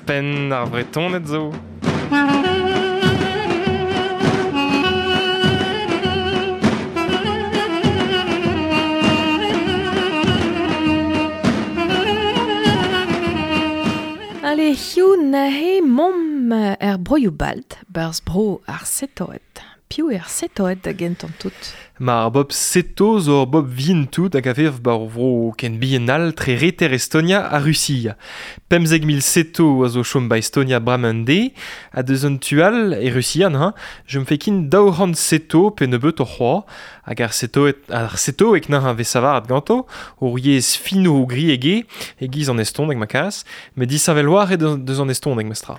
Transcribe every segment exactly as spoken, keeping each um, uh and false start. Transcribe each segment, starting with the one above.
Ouzhpenn ar Vretoned zo. Ale hiu nahe mom er broioù balt, barz bro ar setoet. Piv er setoet da gentan tout? Ma ar bob seto zo ur bob vien tout hag a vev bar vro ken bihan all tre reter Estonia ha Russia. Pemzek mil seto a zo chom ba Estonia bremañ de, ha deus an tu all e Russian, hein, je me fais kin daou c'hant seto pe nebeut o c'hoa, hag ar setoet, ar setoek naha vez savaret ganto, ur yezh fino o gri ege, e giz an estoneg ma kas, met disheñvel war e deus an estoneg mestra.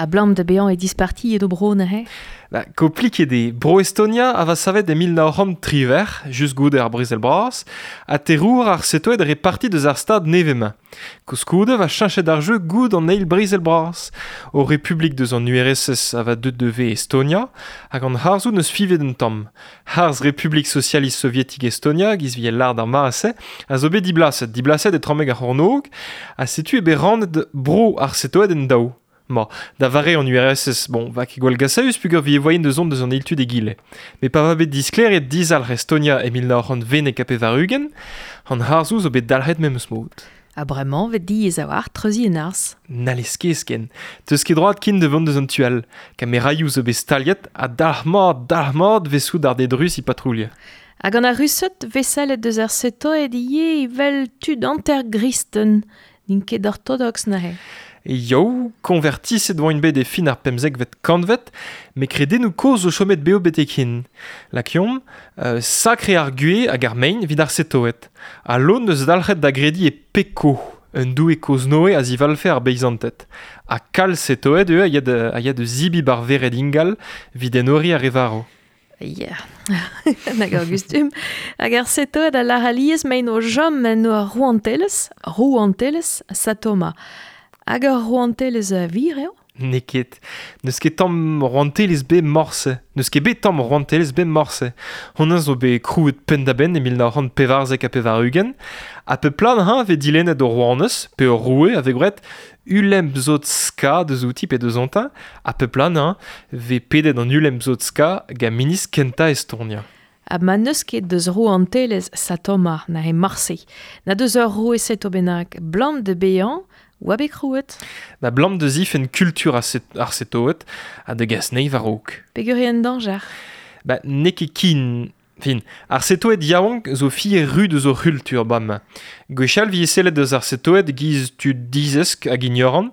A blam de bean e disparti edo bro nahe? Ba, kompliket eo. Bro Estonia a va savet e mil nav c'hant triwec'h, just goude ar brezel bras, ha terour ar setoet reparti deus ar stad nevez-mañ. Koulskoude va cheñchet ar jeu goud an eil brezel bras. O Republik deus an U R S S a va deut de Estonia, hag an harzoù neus fivet un tamm. Harz Republik Socialist Sovietik Estonia, giz vi lard ar mare-se, a zo bet diblaset, diblaset e tramek ar c'hornôg, ha setu e bet rannet bro ar setoet en daou. Ma, da vare an U R S S, bon, va ket gwall gasaüs pugur vi e voyen deus on deus an eil tud egile. Met pa va bet disklêriet dizalc'h Estonia e mil nav c'hant vennek ha pevar-ugent, an harzoù zo bet dalc'het memes mod. Ha bremañ vet diaes a-walc'h treuziñ en arz. N'allez ket ken. Teus ket droad kin da vont deus an tu all. Kameraioù zo bet staliet ha dalc'hmat, dalc'hmat vez soudarded rus i patrouilh. Hag an ar rused vez sellet deus ar setoed ivez evel tud hanter-gristen. N'int ket ortodox neuze. Yo, konvertiset oa bet e fin ar pemzekvet kantvet, met kredennoù kozh zo chomet beo betek hin. Lakiomp, euh, sakre ar gue hag ar mein evit ar setoed. Ha lon eus dalc'het da grediñ e peko, un doue kozh Noe a zivalfe ar beizanted. Ha kalz setoed eo a ya da, a ya da zibi bar vered ingal evit enoriñ ar re varv. Yeah. Nag ar gustum. Hag ar setoed a lar alies mein o jom en o rouantelezh, rouantelezh Satoma. Hag ur rouantelezh a vir eo? N'eo ket. N'eus ket tamm rouantelezh bet morse. N'eus ket bet tamm rouantelezh bet morse. Honnezh zo bet krouet penn-da-benn e mil nav c'hant pevarzek ha pevar-ugent. Ha pep plan hañ vez dilennet ur rouanez, pe ur roue a vez gwraet Ulemzotska deus outi pe deus ontañ. Ha pep plan hañ vez pedet an Ulemzotska gant ministr kentañ Estonia. Ha ma n'eus ket deus rouantelezh Satoma na e marse. Na deus ur roue seto bennak blam de beañ oa bet krouet. Ba blam deus if en kultur ar set-, ar setoet ha de gas neiv a-raok. Peogwir eo en dañjer. Ba n'eo ket kin. Fin, ar setoed yaouank zo fier ru deus o c'hultur bam. Gwechall vi sellet deus ar setoed giz tud dizesk hag ignorant,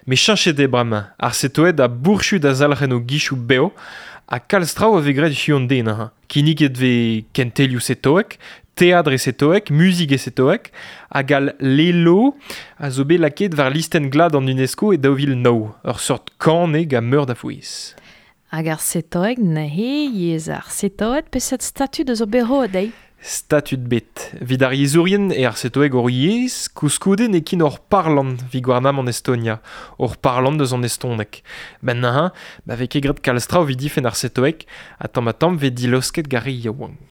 met cheñchet eo bremañ. Ar setoed a bourchu da zalc'hen o gichoù beo, ha kalz traoù a vez graet hiziv an den, hein. Kinniget vez kentelioù setoek, teatr e setoek, muzik e setoek, hag al lelo a zo bet lakaet war listenn glad an UNESCO e daou vil nav, ur seurt kan eo gant meur da fouez. Hag ar setoeg neuze yezh ar setoed peseurt statud eus o bero dezhi? Statud bet. Evit ar yezhourien e ar setoeg hor yezh, koulskoude n'eo ket hor parlant evit gouarnamant Estonia, hor parlant deus an estoneg. Ben neuze, ba vez ket graet kalz traoù evit difenn ar setoeg, ha tamm ha tamm vez dilosket gant re yaouank.